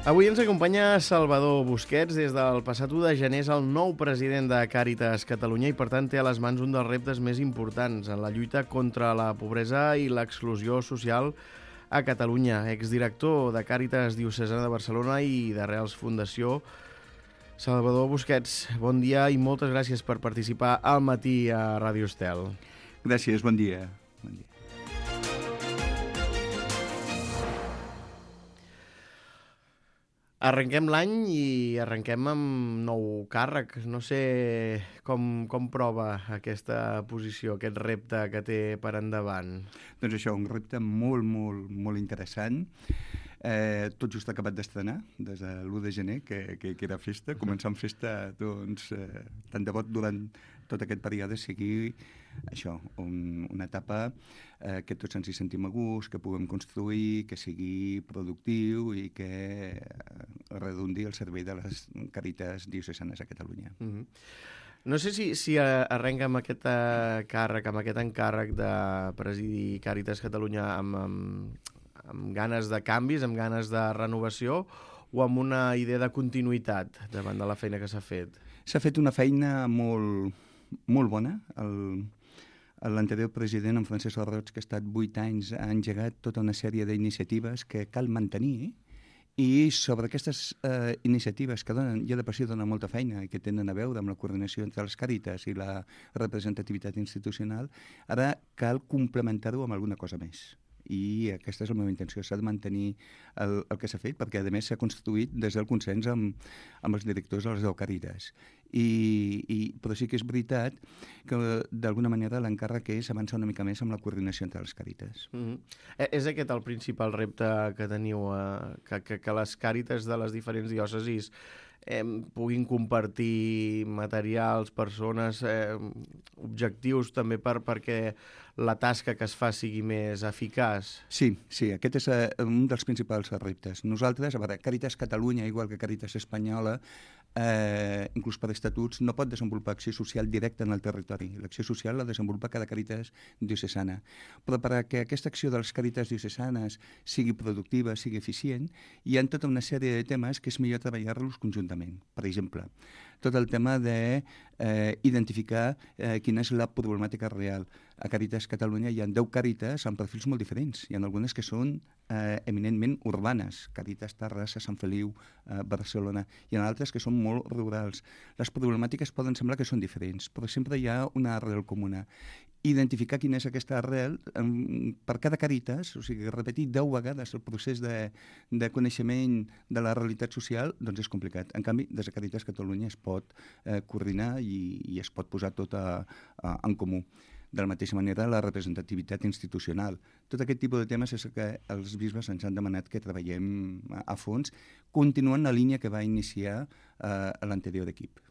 Avui ens acompanya Salvador Busquets. Des del passat 1 de gener és el nou president de Càritas Catalunya i, per tant, té a les mans un dels reptes més importants en la lluita contra la pobresa i l'exclusió social a Catalunya. Exdirector de Càritas Diocesana de Barcelona i d'Arrels Fundació. Salvador Busquets, bon dia i moltes gràcies per participar al matí a Ràdio Estel. Gràcies, bon dia. Bon dia. Arrenquem l'any i arrenquem amb nou càrrec. No sé com prova aquesta posició, aquest repte que té per endavant. Doncs això, un repte molt interessant. Tot just acabat d'estrenar, des de l'1 de gener, que era festa. Començar amb festa, doncs, tant de bo durant tot aquest període sigui això, una etapa que tots ens hi sentim a gust, que puguem construir, que sigui productiu i que redundi el servei de les càritas diocesanes a Catalunya. No sé si arrenca amb aquest càrrec, amb aquest encàrrec de presidir Càritas Catalunya amb ganes de canvis, amb ganes de renovació o amb una idea de continuïtat davant de la feina que s'ha fet? S'ha fet una feina molt bona. L'anterior president, en Francesc Roig, que ha estat 8 anys, ha engegat tota una sèrie d'iniciatives que cal mantenir, i sobre aquestes iniciatives que donen, ja de per si donen molta feina i que tenen a veure amb la coordinació entre les càritas i la representativitat institucional, ara cal complementar-ho amb alguna cosa més. I aquesta és la meva intenció, s'ha de mantenir el que s'ha fet, perquè a més s'ha construït des del consens amb els directors de les 10 càritas. Però sí que és veritat que d'alguna manera l'encàrrec és avançar una mica més amb la coordinació entre les càritas. És aquest el principal repte que teniu, que les càritas de les diferents diòcesis puguin compartir materials, persones, objectius també perquè la tasca que es fa sigui més eficaç? Sí, aquest és un dels principals reptes. Nosaltres, a veure, Càritas Catalunya, igual que Càritas Espanyola, inclús per estatuts, no pot desenvolupar acció social directa en el territori. L'acció social la desenvolupa cada Càritas diocesana. Però perquè aquesta acció de les Càritas diocesanes sigui productiva, sigui eficient, hi ha tota una sèrie de temes que és millor treballar-los conjuntament. Per exemple, tot el tema d'identificar quina és la problemàtica real. A Càritas Catalunya hi ha 10 càritas amb perfils molt diferents. Hi ha algunes que són eminentment urbanes, Càritas Terrassa, Sant Feliu, Barcelona. Hi ha altres que són molt rurals. Les problemàtiques poden semblar que són diferents, però sempre hi ha una arrel comuna. Identificar quina és aquesta arrel per cada càritas, o sigui, repetir 10 vegades el procés de coneixement de la realitat social, doncs és complicat. En canvi, des de Càritas Catalunya es pot coordinar i es pot posar tot en comú. De la mateixa manera, la representativitat institucional. Tot aquest tipus de temes és que els bisbes ens han demanat que treballem a fons, continuant la línia que va iniciar l'anterior equip.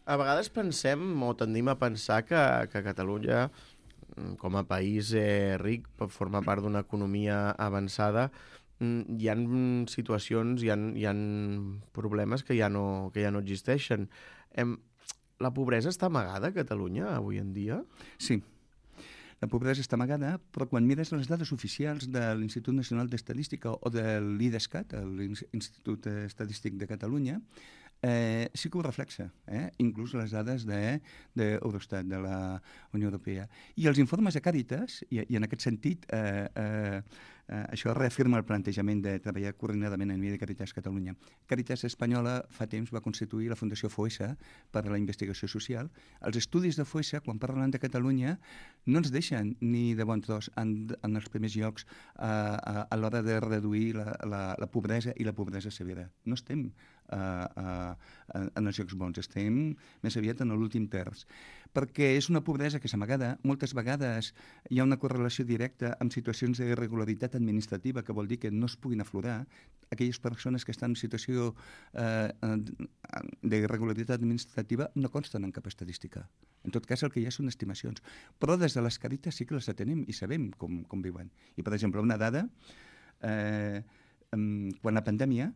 A vegades pensem o tendim a pensar que Catalunya, com a país ric, forma part d'una economia avançada. Hi ha situacions, hi ha problemes que ja no existeixen. La pobresa està amagada a Catalunya avui en dia? Sí. La pobresa està amagada, però quan mires les dades oficials de l'Institut Nacional d'Estadística o de l'IDESCAT, l'Institut Estadístic de Catalunya, sí que ho reflexa, inclús les dades d'Eurostat, de la Unió Europea. I els informes de Càritas, i en aquest sentit, això reafirma el plantejament de treballar coordinadament a nivell de Càritas Catalunya. Càritas Espanyola fa temps va constituir la Fundació Foessa per a la investigació social. Els estudis de Foessa, quan parlen de Catalunya, no ens deixen ni de bon tros en els primers llocs a l'hora de reduir la pobresa i la pobresa severa. No estem en els llocs bons, estem més aviat en l'últim terç, perquè és una pobresa que és amagada. Moltes vegades hi ha una correlació directa amb situacions d'irregularitat administrativa, que vol dir que no es puguin aflorar. Aquelles persones que estan en situació d'irregularitat administrativa no consten en cap estadística. En tot cas, el que hi ha són estimacions. Però des de les càritas sí que les atenem i sabem com viuen. I, per exemple, una dada, quan la pandèmia,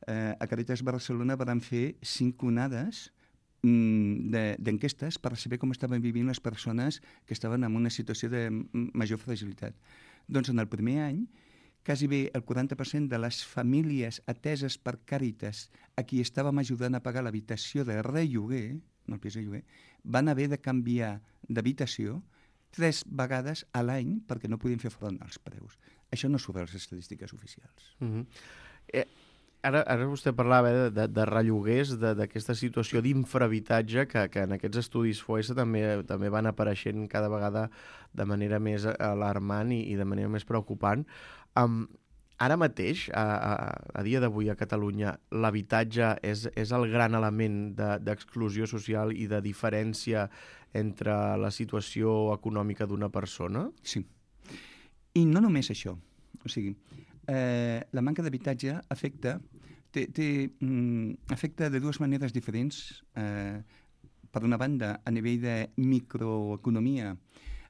a Càritas Barcelona van fer 5 onades d'enquestes per saber com estaven vivint les persones que estaven en una situació de major fragilitat. Doncs en el primer any, quasi bé el 40% de les famílies ateses per Càritas a qui estàvem ajudant a pagar l'habitació de relloguer, no el pis de lloguer, van haver de canviar d'habitació 3 vegades a l'any perquè no podien fer front als preus. Això no surt a les estadístiques oficials. Ara vostè parlava de relloguers, d'aquesta situació d'infrahabitatge que en aquests estudis FOESA també van apareixent cada vegada de manera més alarmant i de manera més preocupant. Ara mateix, a dia d'avui a Catalunya, l'habitatge és el gran element d'exclusió social i de diferència entre la situació econòmica d'una persona? Sí. I no només això. O sigui, la manca d'habitatge afecta de dues maneres diferents. Per una banda, a nivell de microeconomia,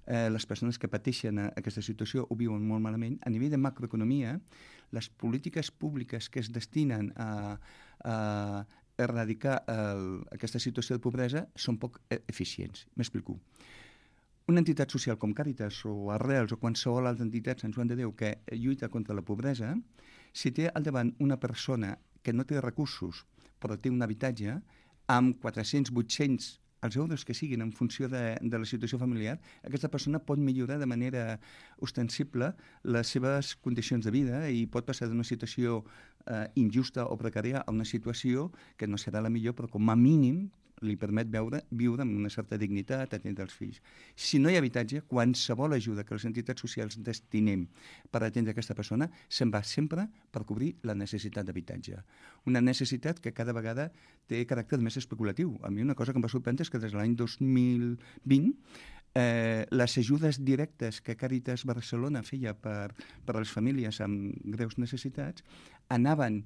les persones que pateixen aquesta situació ho viuen molt malament. A nivell de macroeconomia, les polítiques públiques que es destinen a erradicar aquesta situació de pobresa són poc eficients. M'explico. Una entitat social com Càritas o Arrels o qualsevol altra entitat, Sant Joan de Déu, que lluita contra la pobresa, si té al davant una persona que no té recursos però té un habitatge, amb 400, 800 els euros que siguin en funció de la situació familiar, aquesta persona pot millorar de manera ostensible les seves condicions de vida i pot passar d'una situació injusta o precària a una situació que no serà la millor, però com a mínim li permet viure amb una certa dignitat, atendre els fills. Si no hi ha habitatge, qualsevol ajuda que les entitats socials destinem per atendre aquesta persona se'n va sempre per cobrir la necessitat d'habitatge. Una necessitat que cada vegada té caràcter més especulatiu. A mi una cosa que em va sorprendre és que des de l'any 2020 les ajudes directes que Càritas Barcelona feia per a les famílies amb greus necessitats anaven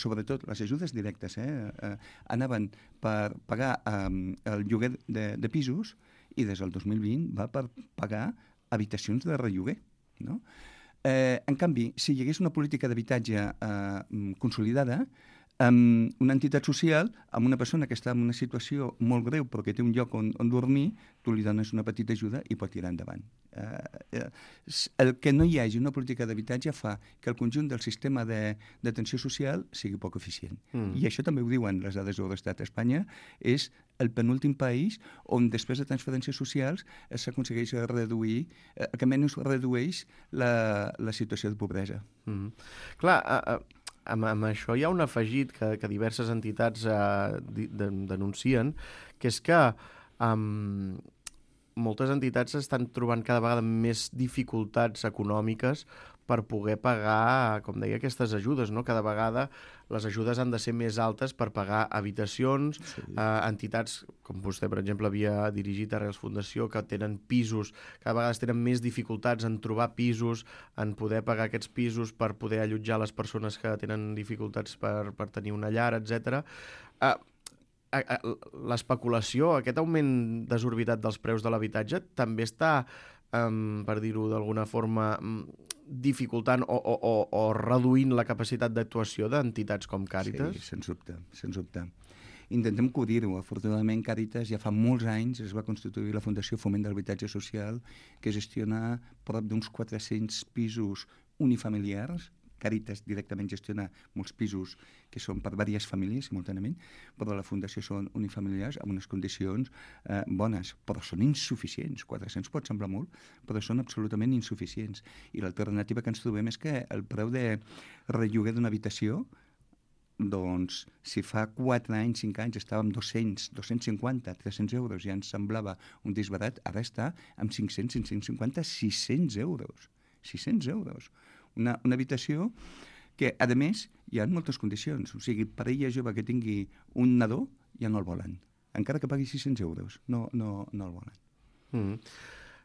sobretot les ajudes directes anaven per pagar el lloguer de pisos i des del 2020 va per pagar habitacions de relloguer, no? En canvi, si hi hagués una política d'habitatge consolidada, una entitat social, amb una persona que està en una situació molt greu però que té un lloc on dormir, tu li dones una petita ajuda i pot tirar endavant. El que no hi hagi una política d'habitatge fa que el conjunt del sistema d'atenció social sigui poc eficient. I això també ho diuen les dades de l'Estat. Espanya és el penúltim país on després de transferències socials s'aconsegueix reduir, que menys redueix la situació de pobresa. Clar, amb això hi ha un afegit que diverses entitats denuncien, que és que moltes entitats estan trobant cada vegada més dificultats econòmiques per poder pagar, com deia, aquestes ajudes, no? Cada vegada les ajudes han de ser més altes per pagar habitacions, entitats, com vostè, per exemple, havia dirigit Arrels Fundació, que tenen pisos, cada vegada tenen més dificultats en trobar pisos, en poder pagar aquests pisos per poder allotjar les persones que tenen dificultats per tenir una llar, etc. L'especulació, aquest augment desorbitat dels preus de l'habitatge, també està, per dir-ho d'alguna forma, dificultant o reduint la capacitat d'actuació d'entitats com Càritas? Sí, sens dubte, sens dubte. Intentem cobrir-ho. Afortunadament, Càritas ja fa molts anys es va constituir la Fundació Foment de l'Habitatge Social, que gestiona prop d'uns 400 pisos unifamiliars. Càritas directament gestiona molts pisos que són per diverses famílies simultàniament, però la Fundació són unifamiliars amb unes condicions bones, però són insuficients. 400 pot semblar molt, però són absolutament insuficients. I l'alternativa que ens trobem és que el preu de relloguer d'una habitació, doncs, si fa 4 anys, 5 anys estàvem 200, 250, 300 euros i ens semblava un disbarat, ara està amb 500, 550, 600 euros. 600 euros. Una habitació que, a més, hi ha moltes condicions. O sigui, parella jove que tingui un nadó ja no el volen. Encara que pagui 600 euros, no el volen.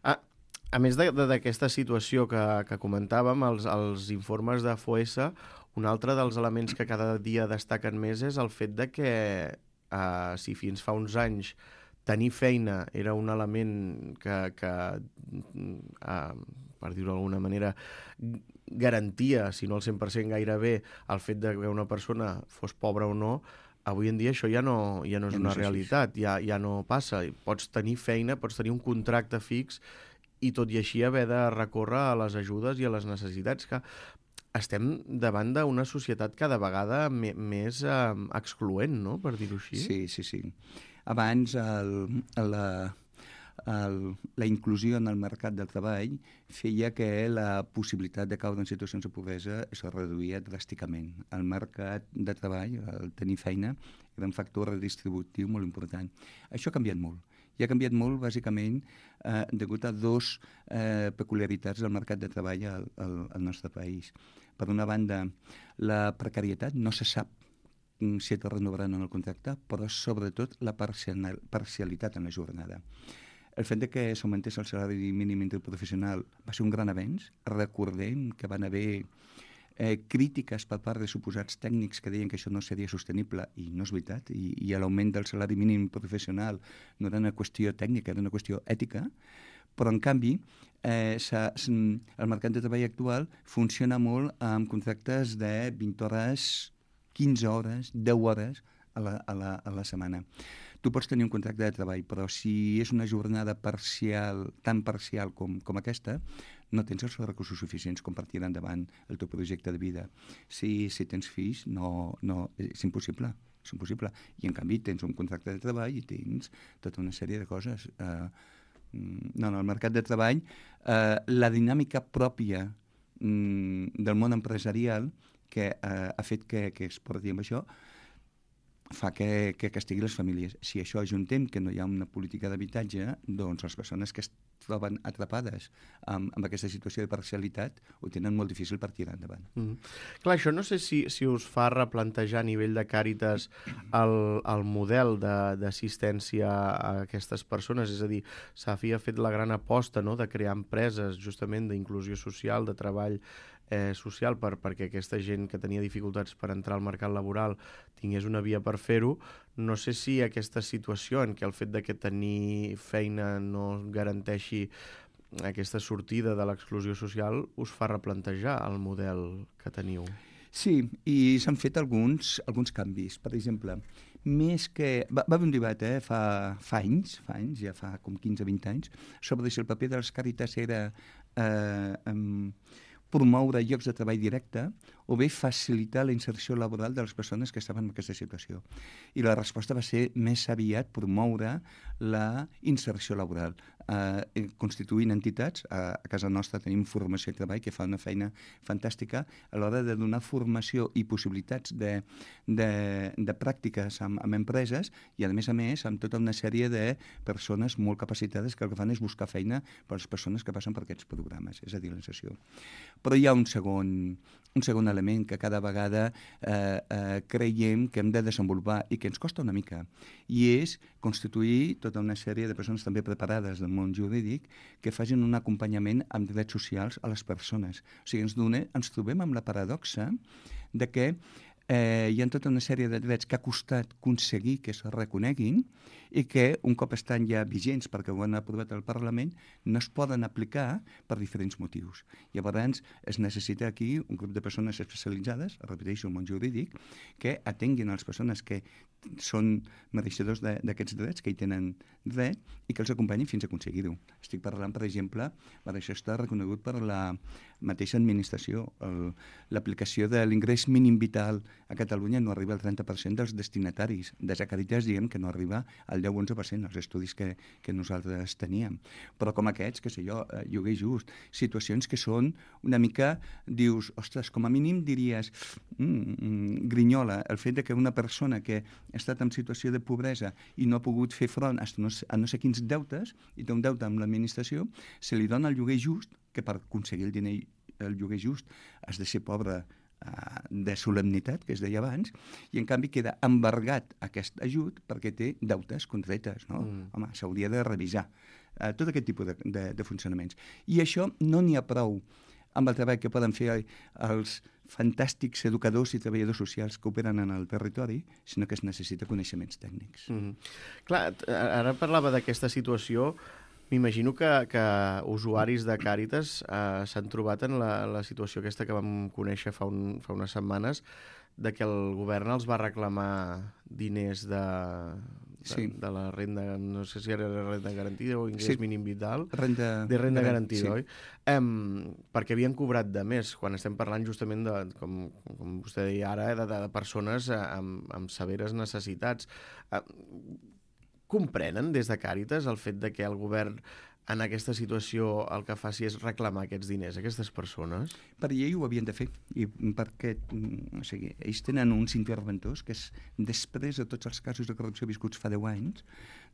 A més d'aquesta situació que comentàvem, els informes de FOESA, un altre dels elements que cada dia destaquen més és el fet de que, si fins fa uns anys tenir feina era un element que per dir-ho d'alguna manera, garantia, si no al 100% gairebé, el fet de que una persona fos pobra o no, avui en dia això ja no és una realitat, ja no passa. Pots tenir feina, pots tenir un contracte fix i tot i així haver de recórrer a les ajudes i a les necessitats, que estem davant d'una societat cada vegada més excloent, no?, per dir-ho així. Sí. Abans la inclusió en el mercat del treball feia que la possibilitat de caure en situacions de pobresa es reduïa dràsticament. El mercat de treball, el tenir feina, era un factor redistributiu molt important. Això ha canviat molt. I ha canviat molt, bàsicament, degut a dos peculiaritats del mercat de treball al nostre país. Per una banda, la precarietat, no se sap si et renovaran en el contracte, però sobretot la parcialitat en la jornada. El fet que s'augmentés el salari mínim interprofessional va ser un gran avenç. Recordem que van haver crítiques per part de suposats tècnics que deien que això no seria sostenible, i no és veritat, i l'augment del salari mínim professional no era una qüestió tècnica, era una qüestió ètica, però en canvi el mercat de treball actual funciona molt amb contractes de 20 hores, 15 hores, 10 hores a la setmana. Tu pots tenir un contracte de treball, però si és una jornada parcial, tan parcial com aquesta, no tens els recursos suficients com per tirar endavant el teu projecte de vida. Si tens fills, és impossible. És impossible. I en canvi tens un contracte de treball i tens tota una sèrie de coses. No, el mercat de treball, la dinàmica pròpia del món empresarial que ha fet que es porti amb això, fa que castigui les famílies. Si això ajuntem que no hi ha una política d'habitatge, doncs les persones que es troben atrapades amb aquesta situació de parcialitat ho tenen molt difícil per tirar endavant. Clar, això no sé si us fa replantejar a nivell de Càritas el model d'assistència a aquestes persones. És a dir, Safi ha fet la gran aposta, no?, de crear empreses justament d'inclusió social, de treball social, perquè aquesta gent que tenia dificultats per entrar al mercat laboral tingués una via per fer-ho. No sé si aquesta situació en què el fet de que tenir feina no garanteixi aquesta sortida de l'exclusió social us fa replantejar el model que teniu. Sí, i s'han fet alguns canvis. Per exemple, més que... Va haver un debat fa anys, ja fa com 15-20 anys, sobre si el paper de les Càritas era promoure llocs de treball directe o bé facilitar la inserció laboral de les persones que estaven en aquesta situació. I la resposta va ser més aviat promoure la inserció laboral, constituint entitats. A casa nostra tenim Formació i Treball, que fa una feina fantàstica a l'hora de donar formació i possibilitats de pràctiques amb empreses i, a més, amb tota una sèrie de persones molt capacitades que el que fan és buscar feina per les persones que passen per aquests programes, és a dir, la inserció. Però hi ha un segon element que cada vegada creiem que hem de desenvolupar i que ens costa una mica, i és constituir tota una sèrie de persones també preparades del món jurídic que facin un acompanyament amb drets socials a les persones. O sigui, ens trobem amb la paradoxa de que hi ha tota una sèrie de drets que ha costat aconseguir que es reconeguin i que, un cop estan ja vigents perquè ho han aprovat al Parlament, no es poden aplicar per diferents motius. Llavors, es necessita aquí un grup de persones especialitzades, repeteixo, el món jurídic, que atenguin a les persones que són mereixedors d'aquests drets, que hi tenen dret, i que els acompanyin fins a aconseguir-ho. Estic parlant, per exemple, això està reconegut per la mateixa administració. L'aplicació de l'ingrés mínim vital a Catalunya no arriba al 30% dels destinataris. Des de Càritas diem que no arriba al 10-11%, els estudis que nosaltres teníem. Però com aquests, que sé jo, lloguer just, situacions que són una mica, dius, ostres, com a mínim diries, grinyola, el fet de que una persona que ha estat en situació de pobresa i no ha pogut fer front a no sé quins deutes, i té un deute amb l'administració, se li dona el lloguer just, que per aconseguir el lloguer just has de ser pobre de solemnitat, que es deia abans, i en canvi queda embargat aquest ajut perquè té deutes contretes, no? Home, s'hauria de revisar tot aquest tipus de funcionaments. I això no n'hi ha prou amb el treball que poden fer els fantàstics educadors i treballadors socials que operen en el territori, sinó que es necessita coneixements tècnics. Clar, ara parlava d'aquesta situació. M'imagino que usuaris de Càritas s'han trobat en la situació aquesta que vam conèixer fa unes setmanes, de que el govern els va reclamar diners de la renda, no sé si era renda garantida o ingrés mínim vital, de renda garantida, oi? Perquè havien cobrat de més, quan estem parlant justament de, com vostè deia ara, de persones amb severes necessitats. Comprenen des de Càritas el fet de que el govern en aquesta situació el que faci és reclamar aquests diners a aquestes persones? Per llei ho havien de fer, i perquè ells tenen uns interventors que és, després de tots els casos de corrupció viscuts fa 10 anys,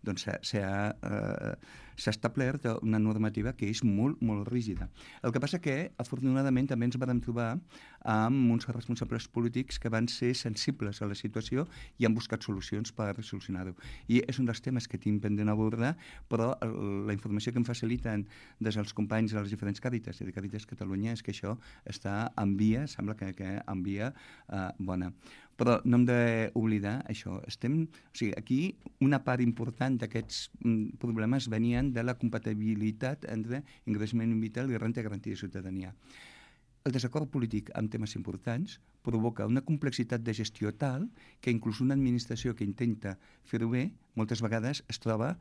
doncs s'ha establert una normativa que és molt, molt rígida. El que passa que, afortunadament, també ens vam trobar amb uns responsables polítics que van ser sensibles a la situació i han buscat solucions per solucionar-ho. I és un dels temes que tinc pendent abordar, però la informació que em faciliten des dels companys de les diferents Càritas i de Càritas Catalunya és que això està en via, sembla que en via bona. Però no hem d'oblidar això. Aquí una part important d'aquests problemes venien de la compatibilitat entre ingrés mínim vital i renda garantida de ciutadania. El desacord polític en temes importants provoca una complexitat de gestió tal que inclús una administració que intenta fer-ho bé moltes vegades es troba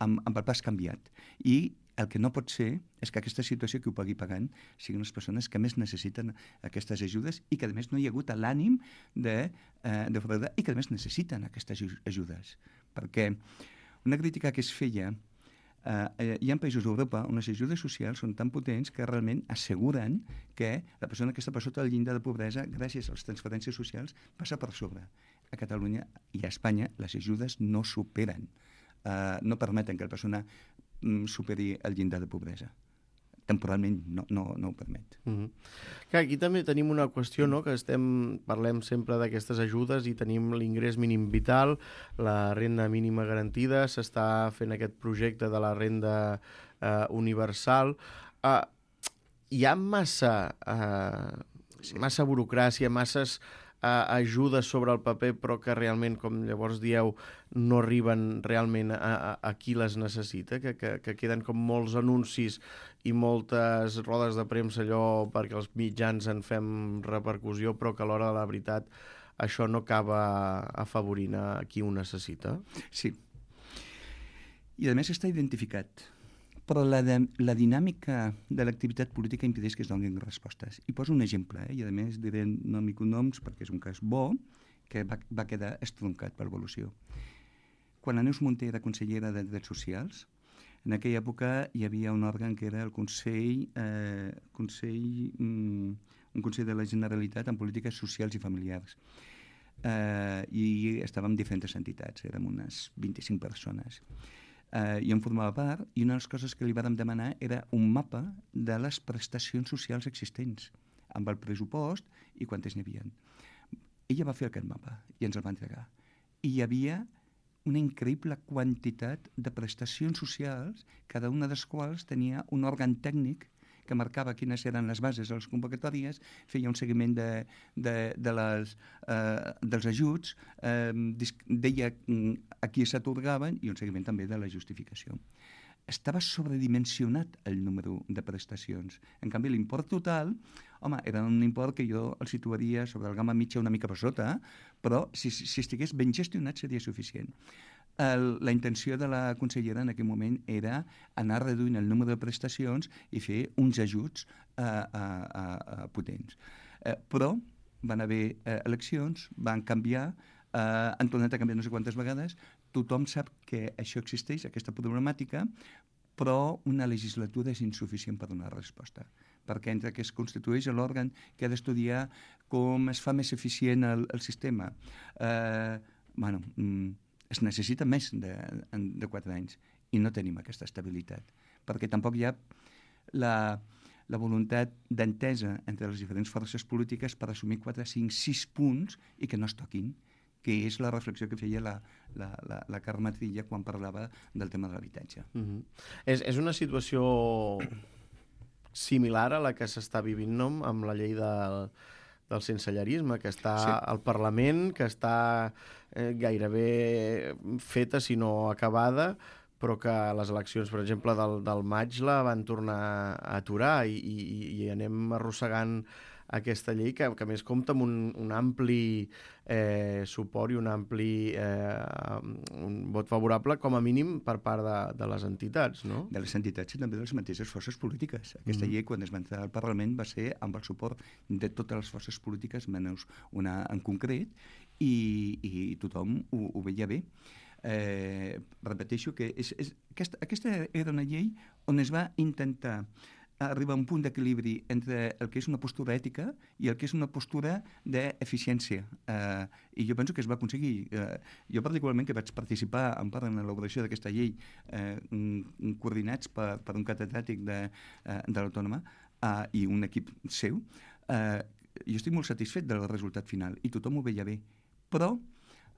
amb el pas canviat. I el que no pot ser és que aquesta situació qui ho pagui pagant siguin les persones que més necessiten aquestes ajudes i que a més no hi ha hagut l'ànim de fraudar i que a més necessiten aquestes ajudes. Perquè una crítica que es feia hi ha països d'Europa on les ajudes socials són tan potents que realment asseguren que la persona que està per sota del llindar de pobresa, gràcies a les transferències socials, passa per sobre. A Catalunya i a Espanya les ajudes no superen, no permeten que la persona superi el llindar de pobresa. Temporalment no ho permet. Clar, aquí també tenim una qüestió, no?, que parlem sempre d'aquestes ajudes i tenim l'ingrés mínim vital, la renda mínima garantida, s'està fent aquest projecte de la renda universal. Hi ha massa burocràcia, masses ajudes sobre el paper, però que realment, com llavors dieu, no arriben realment a qui les necessita, que queden com molts anuncis i moltes rodes de premsa allò perquè els mitjans en fem repercussió, però que a l'hora de la veritat això no acaba afavorint a qui ho necessita. Sí. I a més està identificat. Però la dinàmica de l'activitat política impedeix que es donin respostes. I poso un exemple, i a més diré nom i cognoms perquè és un cas bo, que va quedar estroncat per l'evolució. Quan la Neus Munté era consellera de Drets Socials, en aquella època hi havia un òrgan que era el Consell de la Generalitat en Polítiques Socials i Familiars. I estàvem diferents entitats, érem unes 25 persones. I en formava part, i una de les coses que li vàrem demanar era un mapa de les prestacions socials existents, amb el pressupost i quantes n'hi havia. Ella va fer aquest mapa i ens el va entregar. I hi havia una increïble quantitat de prestacions socials, cada una de les quals tenia un òrgan tècnic que marcava quines eren les bases de les convocatòries, feia un seguiment dels ajuts, deia a qui s'atorgaven i un seguiment també de la justificació. Estava sobredimensionat el número de prestacions. En canvi, l'import total, era un import que jo el situaria sobre el gamma mitja una mica per sota, però si estigués ben gestionat seria suficient. La intenció de la consellera en aquell moment era anar reduint el número de prestacions i fer uns ajuts potents. Però van haver eleccions, van canviar, han tornat a canviar no sé quantes vegades, tothom sap que això existeix, aquesta problemàtica, però una legislatura és insuficient per donar resposta, perquè entre que es constitueix l'òrgan que ha d'estudiar com es fa més eficient el sistema, es necessita més de 4 anys i no tenim aquesta estabilitat, perquè tampoc hi ha la voluntat d'entesa entre les diferents forces polítiques per assumir 4, 5, 6 punts i que no es toquin, que és la reflexió que feia la Carme Trilla quan parlava del tema de l'habitatge. És una situació similar a la que s'està vivint amb la llei del sensellarisme, que està al Parlament, que està gairebé feta, si no acabada, però que les eleccions, per exemple, del maig la van tornar a aturar i anem arrossegant aquesta llei que a més compta amb un ampli suport i un ampli un vot favorable, com a mínim, per part de les entitats, no? De les entitats i també de les mateixes forces polítiques. Aquesta llei, quan es va entrar al Parlament, va ser amb el suport de totes les forces polítiques, menys una en concret, i tothom ho veia bé. Repeteixo que aquesta era una llei on es va intentar arribar a un punt d'equilibri entre el que és una postura ètica i el que és una postura d'eficiència. I jo penso que es va aconseguir. Jo particularment, que vaig participar en part en l'elaboració d'aquesta llei, coordinats per un catedràtic de l'Autònoma i un equip seu, jo estic molt satisfet del resultat final i tothom ho veia bé. Però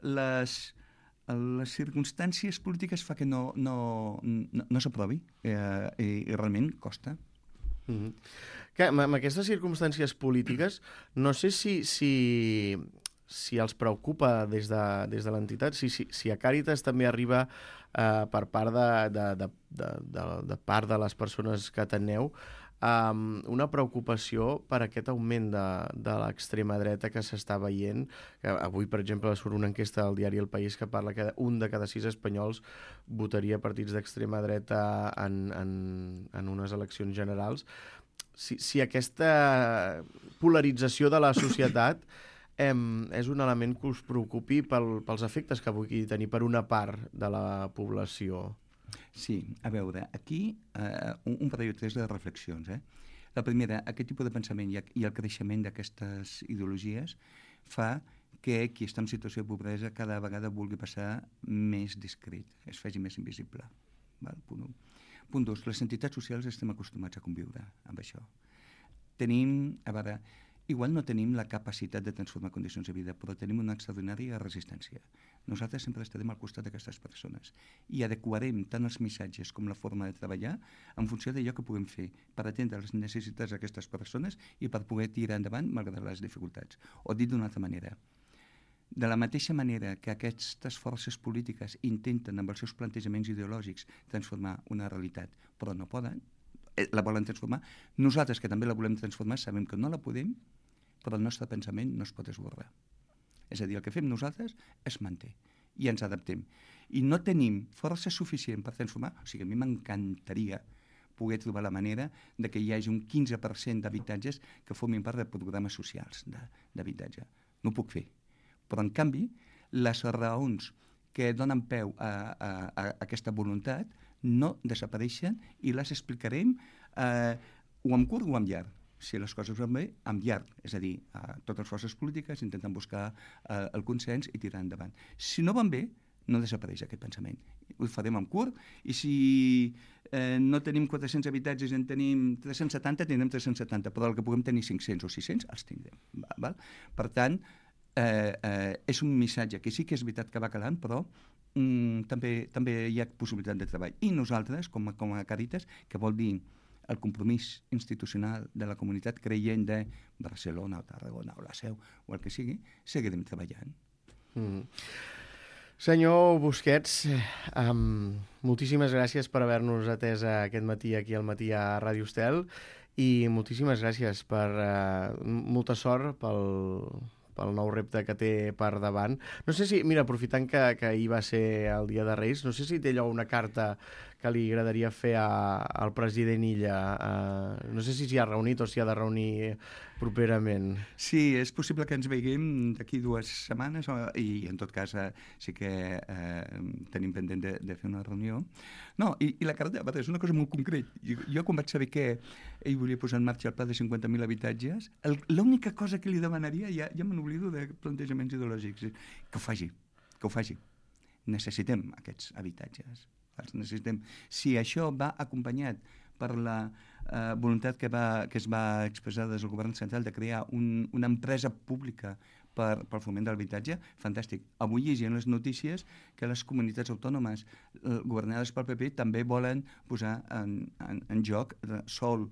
les circumstàncies polítiques fa que no s'aprovi i realment costa. Que, amb aquestes circumstàncies polítiques, no sé si els preocupa des de l'entitat, si a Càritas també arriba per part de part de les persones que ateneu una preocupació per aquest augment de l'extrema dreta que s'està veient. Avui, per exemple, surt una enquesta del diari El País que parla que 1 de cada 6 espanyols votaria partits d'extrema dreta en unes eleccions generals. Si aquesta polarització de la societat és un element que us preocupi pels efectes que pugui tenir per una part de la població. Sí, a veure, aquí un parell o tres de reflexions. La primera, aquest tipus de pensament i el creixement d'aquestes ideologies fa que qui està en situació de pobresa cada vegada vulgui passar més discret, es faci més invisible. Val? Punt 1. Punt 2, les entitats socials estem acostumats a conviure amb això. Igual no tenim la capacitat de transformar condicions de vida, però tenim una extraordinària resistència. Nosaltres sempre estarem al costat d'aquestes persones i adequarem tant els missatges com la forma de treballar en funció d'allò que puguem fer per atendre les necessitats d'aquestes persones i per poder tirar endavant malgrat les dificultats. O dit d'una altra manera, de la mateixa manera que aquestes forces polítiques intenten amb els seus plantejaments ideològics transformar una realitat, però no poden, la volen transformar, nosaltres que també la volem transformar sabem que no la podem, però el nostre pensament no es pot esborrar. És a dir, el que fem nosaltres es manté i ens adaptem. I no tenim força suficient per transformar, o sigui, a mi m'encantaria poder trobar la manera de que hi hagi un 15% d'habitatges que formin part de programes socials d'habitatge. No ho puc fer. Però, en canvi, les raons que donen peu a aquesta voluntat no desapareixen i les explicarem o amb curt o amb llarg. Si les coses van bé, amb llarg, és a dir, totes les forces polítiques intenten buscar el consens i tirar endavant. Si no van bé, no desapareix aquest pensament. Ho farem amb curt i si no tenim 400 habitatges i en tenim 370, tindrem 370, però el que puguem tenir 500 o 600 els tindrem. Val? Per tant, és un missatge que sí que és veritat que va calant, però també hi ha possibilitat de treball. I nosaltres, com a Càritas, que vol dir el compromís institucional de la comunitat creient de Barcelona o Tarragona o la Seu o el que sigui, seguirem treballant. Senyor Busquets, moltíssimes gràcies per haver-nos atès aquest matí aquí al Matí a Ràdio Estel i moltíssimes gràcies per molta sort pel nou repte que té per davant. No sé si, mira, aprofitant que ahir va ser el dia de Reis, no sé si té allò una carta que li agradaria fer al president Illa. No sé si s'hi ha reunit o s'hi ha de reunir properament. Sí, és possible que ens veiguem d'aquí 2 setmanes i en tot cas sí que tenim pendent de fer una reunió. No, i la carta és una cosa molt concreta. Jo quan vaig saber que ell volia posar en marxa el pla de 50.000 habitatges, l'única cosa que li demanaria, ja me n'oblido de plantejaments ideològics, que ho faci. Necessitem aquests habitatges. Els necessitem. Si això va acompanyat per la voluntat que es va expressar des del govern central de crear una empresa pública pel foment de l'habitatge, fantàstic. Avui llegint les notícies que les comunitats autònomes governades pel PP també volen posar en joc sòl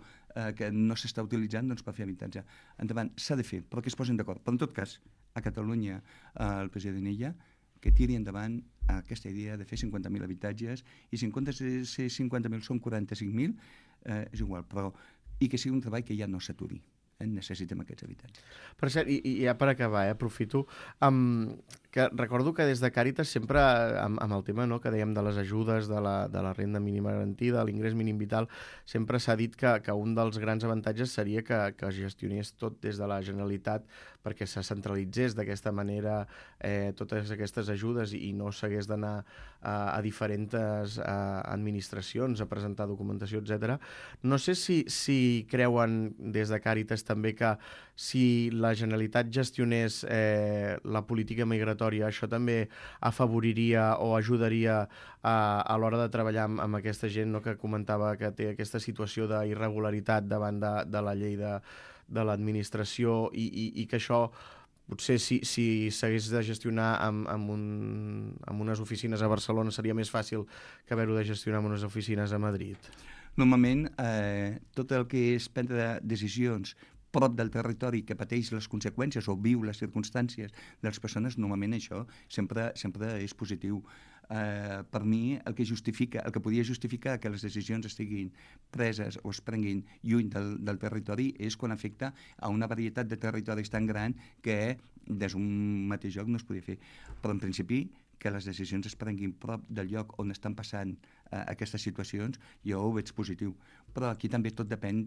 que no s'està utilitzant per fer habitatge. Endavant, s'ha de fer, però que es posin d'acord. Però en tot cas, a Catalunya, el president Illa, que tiri endavant aquesta idea de fer 50.000 habitatges, i si en comptes de ser 50.000 són 45.000, és igual, però i que sigui un treball que ja no s'aturi. Necessitem aquests habitatges. Per cert, i ja per acabar, aprofito, que recordo que des de Càritas sempre, amb el tema que dèiem de les ajudes, de la renda mínima garantida, l'ingrés mínim vital, sempre s'ha dit que un dels grans avantatges seria que es gestionés tot des de la Generalitat, perquè se centralitzés d'aquesta manera totes aquestes ajudes i no s'hagués d'anar a diferents administracions a presentar documentació, etc. No sé si creuen des de Càritas també que si la Generalitat gestionés la política migratòria, això també afavoriria o ajudaria a l'hora de treballar amb aquesta gent que comentava que té aquesta situació d'irregularitat davant de la llei de l'administració, i que això potser si s'hagués de gestionar amb unes oficines a Barcelona seria més fàcil que haver-ho de gestionar amb unes oficines a Madrid. Normalment, tot el que és prendre decisions prop del territori que pateix les conseqüències o viu les circumstàncies de les persones, normalment això sempre és positiu. Per mi, el que podia justificar que les decisions estiguin preses o es prenguin lluny del territori és quan afecta a una varietat de territoris tan gran que des d'un mateix lloc no es podia fer. Però en principi, que les decisions es prenguin prop del lloc on estan passant aquestes situacions, jo ho veig positiu. Però aquí també tot depèn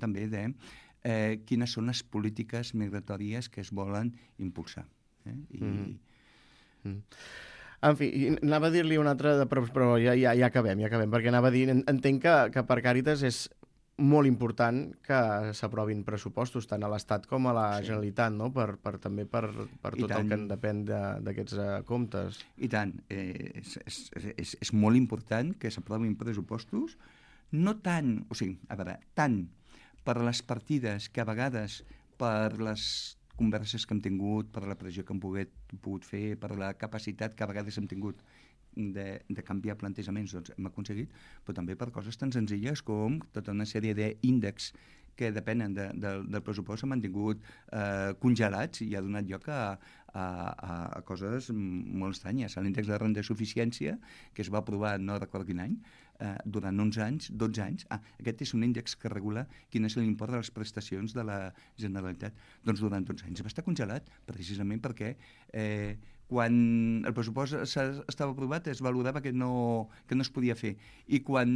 també de quines són les polítiques migratòries que es volen impulsar. En fi, anava a dir-li una altra, però ja acabem, perquè anava a dir, entenc que per Càritas és molt important que s'aprovin pressupostos tant a l'Estat com a la Generalitat, no? També per tot el que en depèn d'aquests comptes. I tant, és molt important que s'aprovin pressupostos, no tant, tant per les partides que a vegades per les converses que hem tingut, per la pressió que hem pogut fer, per la capacitat que a vegades hem tingut de canviar plantejaments, doncs hem aconseguit, però també per coses tan senzilles com tota una sèrie d'índexs que depenen del pressupost s'han mantingut congelats i ha donat lloc a coses molt estranyes. L'índex de renda de suficiència, que es va aprovar no recordo quin any, durant 11 anys, 12 anys, aquest és un índex que regula quin és l'import de les prestacions de la Generalitat. Doncs durant 12 anys va estar congelat, precisament perquè quan el pressupost estava aprovat es valorava que no es podia fer, i quan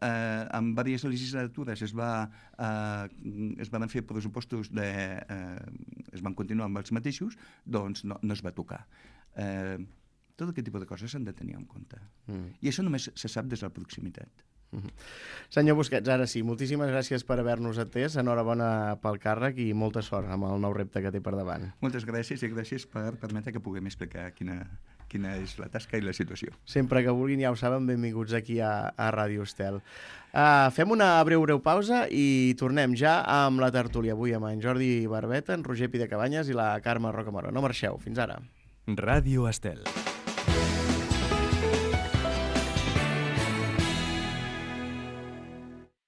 en diverses legislatures es van fer pressupostos es van continuar amb els mateixos, doncs no es va tocar. Tot aquest tipus de coses s'han de tenir en compte. I això només se sap des de la proximitat. Senyor Busquets, ara sí, moltíssimes gràcies per haver-nos atès, enhorabona pel càrrec i molta sort amb el nou repte que té per davant. Moltes gràcies, i gràcies per permetre que puguem explicar quina és la tasca i la situació. Sempre que vulguin, ja ho saben, benvinguts aquí a Ràdio Estel. Fem una breu pausa i tornem ja amb la tertúlia, avui amb en Jordi Barbeta, en Roger Pidecabanyes i la Carme Rocamora. No marxeu, fins ara. Ràdio Estel.